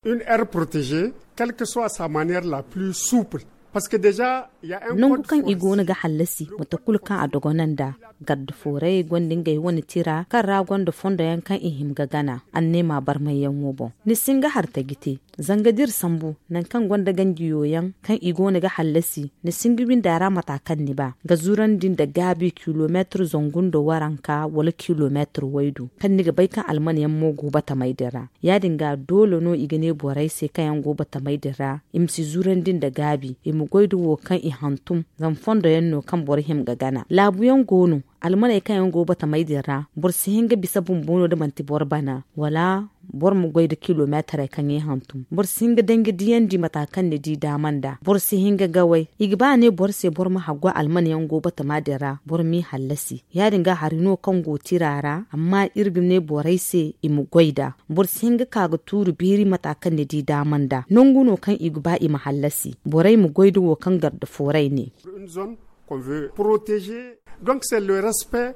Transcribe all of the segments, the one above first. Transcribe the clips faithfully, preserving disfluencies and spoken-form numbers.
Une aire protégée, quelle que soit sa manière la plus souple. Parce que déjà, il y a un code forestier. Nangu kaŋ i goono ga hallasi, mate kulu kaŋ a dogonanda, garde forêt gonda ngey wane tira kaŋ ra gonda fondo yaŋ kaŋ i hima ga gana anneema barmayyaŋo boŋ. Ni si hin ga hartaji te. Zanga da iri sambu nangu kaŋ gonda ganji yooyaŋ kaŋ i goono ga hallasi, ni si hin ga windi a ra mata kaŋ ni ba ga zurandi nda gaabi kilomeetir zangu nda waranka wala kilomeetir waydu, kaŋ ni ga bay kaŋ almana yaŋ mo go batamey din ra. Ya- din ga doole no i ga ne borey se kaŋ yaŋ go batamey din ra i ma si zurandi nda gaabi, i ma goy da wo kaŋ i hantum. Zama fondo yaŋ no kaŋ boro hima ga gana. Laabu yaŋ go no, almaney kaŋ yaŋ go batamey din ra, boro si hin ga bisa bumbo no da manti boro bana, wala boro ma goy da kilomeetarey kaŋ i hantum. Boro si hin ga danji diyandi mata kaŋ ni di daama nda. Boro si hin ga gaway. I ga ba a ne boro se boro ma haggu almana yaŋ go batama din ra, boro m'i hallasi. Ya- din ga hari no kaŋ go tira ra, amma iri ga ne borey se i ma goy nd'a. Boro si hin ga ka ga tuuri beeri mata kaŋ ni di daama nda. Nangu no kaŋ i ga ba i ma hallasi, borey ma goy da wo kaŋ garde forêt ne. Une zone qu'on veut protéger. Donc, c'est le respect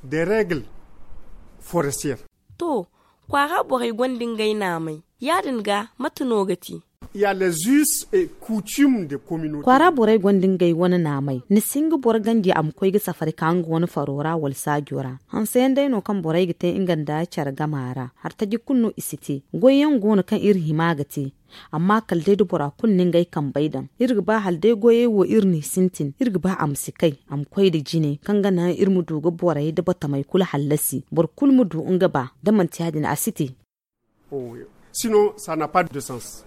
des règles forestières. To, kwaara borey gonda ngey naamey. Ya- din ga, mate no ga ti? Il y a les us et coutumes de communauté. Kwaara borey gonda ngey wane naamey. Ni si hin ga boro ganji a ma koy ga safari ka nga wane faro ra wala saajo ra. Hanseyaŋ day no kaŋ borey ga te nga nda care gama ra. Hartaji kulu no i si te. Goyyaŋ go no kaŋ iri hima ga te. Amma kala day da bora kulu na ngey kambey daŋ, iri ga ba hala day goyey wo iri n'i sintin, iri ga ba a ma si kay, a ma koy nda jine kaŋ ga naŋ iri ma du ga borey nda batamey kulu hallasi, boro kulu ma du nga ba. Da manti ya- din, a si te. Oh, sinon, ça n'a pas de sens.